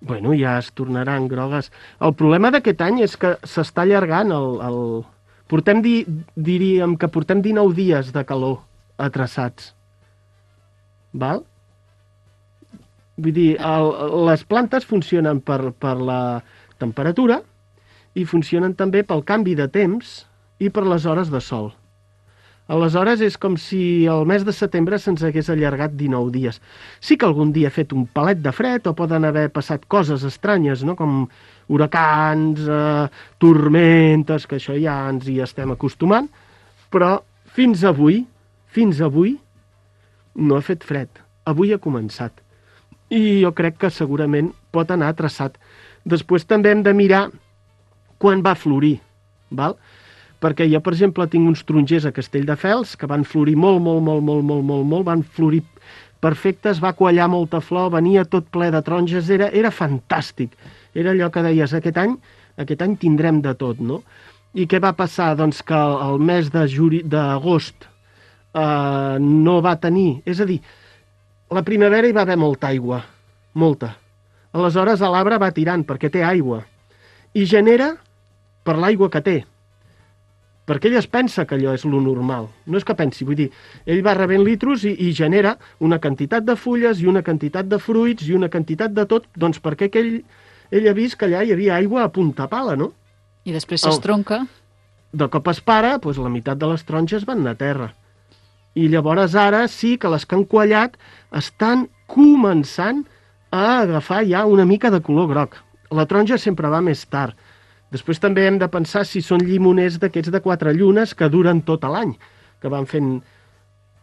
Bueno, ja es tornaran grogues. El problema d'aquest any és que s'està allargant el... el... Portem, di... diríem que portem dinou dies de calor atrasats. Val? Vull dir, el... les plantes funcionen per, per la temperatura i funcionen també pel canvi de temps i per les hores de sol. Aleshores, és com si el mes de setembre se'ns hagués allargat dinou dies. Sí que algun dia ha fet un palet de fred o poden haver passat coses estranyes, no? Com huracans, eh, tormentes, que això ja ens hi estem acostumant, però fins avui, fins avui, no ha fet fred. Avui ha començat. I jo crec que segurament pot anar traçat. Després també hem de mirar quan va florir, val? Perquè jo, per exemple, tinc uns tarongers a Castelldefels que van florir molt, molt, molt, molt, molt, molt, molt, van florir perfectes, va quallar molta flor, venia tot ple de taronges, era, era fantàstic. Era allò que deies, aquest any, aquest any tindrem de tot, no? I què va passar? Doncs que el mes de juri, d'agost eh, no va tenir... És a dir, la primavera hi va haver molta aigua, molta. Aleshores l'arbre va tirant perquè té aigua i genera per l'aigua que té. Perquè ell es pensa que allò és lo normal. No és que pensi, vull dir, ell va rebent litros i, i genera una quantitat de fulles i una quantitat de fruits i una quantitat de tot, doncs perquè ell, ell ha vist que allà hi havia aigua a punta pala, no? I després s'estronca. De cop es para, doncs la meitat de les taronges van anar a terra. I llavors ara sí que les que han quallat estan començant a agafar ja una mica de color groc. La taronja sempre va més tard. Després també hem de pensar si són llimoners d'aquests de quatre llunes que duren tot l'any, que van fent...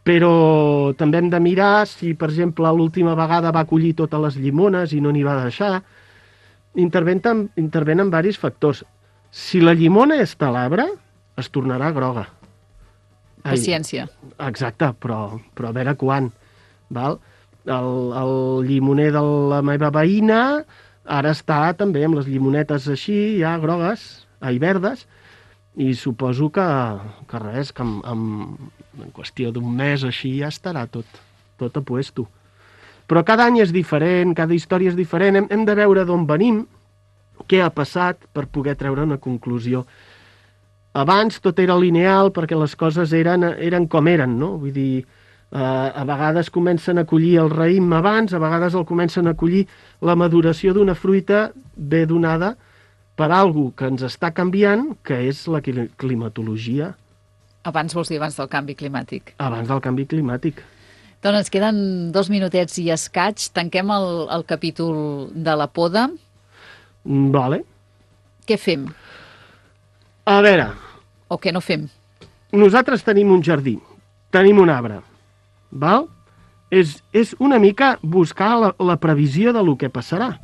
Però també hem de mirar si, per exemple, l'última vegada va collir totes les llimones i no n'hi va deixar. Intervenen, intervenen diversos factors. Si la llimona està a l'arbre, es tornarà groga. Ai, Paciència. exacte, però, però a veure quan. Val? El, el llimoner de la meva veïna... Ara està també amb les llimonetes així, ja grogues, ai, verdes, i suposo que, que res, que en, en, en qüestió d'un mes així ja estarà tot, tot a puesto. Però cada any és diferent, cada història és diferent, hem, hem de veure d'on venim, què ha passat per poder treure una conclusió. Abans tot era lineal perquè les coses eren, eren com eren, no? Vull dir, eh, a vegades comencen a collir el raïm abans, a vegades el comencen a collir la maduració d'una fruita bé donada per algú que ens està canviant, que és la climatologia. Abans vols dir abans del canvi climàtic. Abans del canvi climàtic. Doncs ens queden dos minutets i escaig. Tanquem el, el capítol de la poda. Vale. Què fem? A veure... O què no fem? Nosaltres tenim un jardí, tenim un arbre, val? És, és una mica buscar la, la previsió de lo que passarà.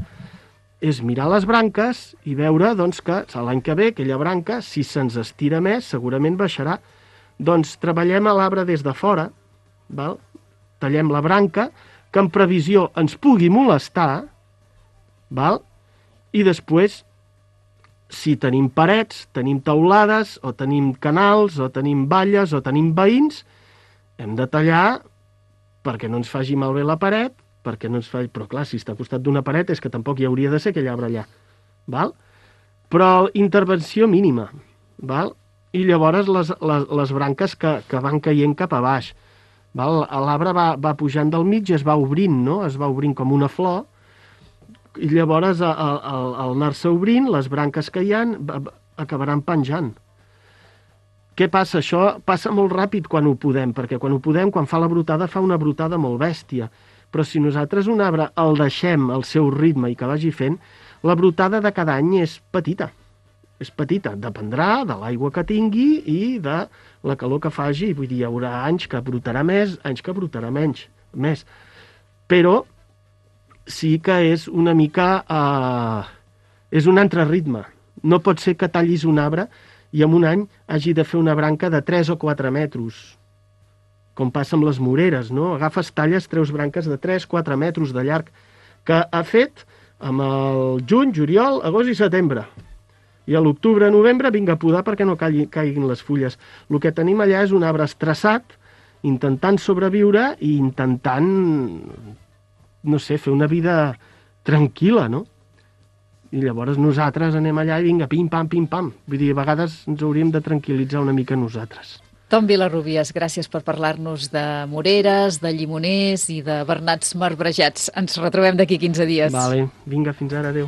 És mirar les branques i veure doncs, que l'any que ve aquella branca, si se'ns estira més, segurament baixarà. Doncs treballem a l'arbre des de fora, val? Tallem la branca, que en previsió ens pugui molestar, val? I després, si tenim parets, tenim teulades, o tenim canals, o tenim valles, o tenim veïns, hem de tallar perquè no ens faci malbé la paret, perquè no ens faci... Però clar, si està al costat d'una paret és que tampoc hi hauria de ser aquell arbre allà. Val? Però intervenció mínima. Val? I llavors les, les, les branques que, que van caient cap a baix. Val? L'arbre va, va pujant del mig i es va obrint, no? Es va obrint com una flor, i llavors al, al, al anar-se obrint, les branques que hi ha acabaran penjant. Què passa? Això passa molt ràpid quan ho podem, perquè quan ho podem, quan fa la brotada, fa una brotada molt bèstia. Però si nosaltres un arbre el deixem al seu ritme i que vagi fent, la brotada de cada any és petita. És petita, dependrà de l'aigua que tingui i de la calor que faci. Vull dir, hi haurà anys que brotarà més, anys que brotarà menys, més. Però sí que és una mica... Eh, és un altre ritme. No pot ser que tallis un arbre i en un any hagi de fer una branca de tres o quatre metres, com passa amb les moreres, no? Agafes, talles, treus branques de tres o quatre metres de llarg, que ha fet amb el juny, juliol, agost i setembre. I a l'octubre, novembre, vinga a podar perquè no caiguin les fulles. El que tenim allà és un arbre estressat, intentant sobreviure i intentant... no sé, fer una vida tranquil·la, no? I llavors nosaltres anem allà i vinga, pim-pam, pim-pam. Vull dir, a vegades ens hauríem de tranquil·litzar una mica nosaltres. Tom Vilarrubias, gràcies per parlar-nos de moreres, de llimoners i de bernats marbrejats. Ens retrobem d'aquí quinze dies. Vale, vinga, fins ara, adéu.